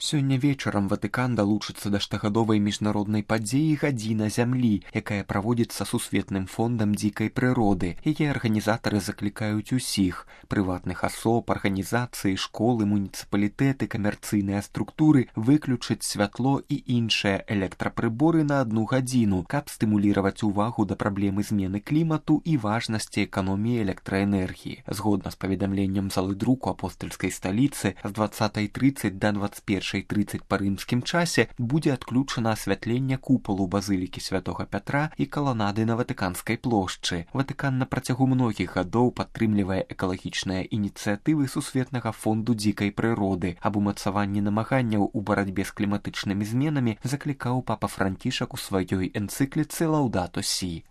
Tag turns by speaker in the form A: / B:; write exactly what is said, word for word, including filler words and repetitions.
A: Сёння вечарам Ватыкан далучыцца да штогадовай міжнароднай падзеі «Гадзіна зямлі», якая праводзіцца сусветным фондам дзікай прыроды. Яе арганізатары заклікаюць усіх – прыватных асоб, арганізацыі, школы, муніцыпалітэты, камерцыйныя структуры – выключыць святло і іншыя электрапрыборы на адну гадзіну, каб стымуліраваць увагу да праблемы змены клімату і важнасці эканоміі электраэнергіі. Згодна з паведамленнем залы друку апостальскай сталіцы, з дваццатай трыццаць да дваццаць першай трыццаць па рымскім часе будзе адключана асвятленне купалу базылікі святога Пятра і каланады на Ватыканскай плошчы. Ватыкан на працягу многіх гадоў падтрымлівае экалагічныя ініцыятывы сусветнага фонду дзікай прыроды. Аб умацаванні намаганняў у барацьбе з кліматычнымі зменамі заклікаў папа Францішак у сваёй энцыкліцы «Лаўдато Сі».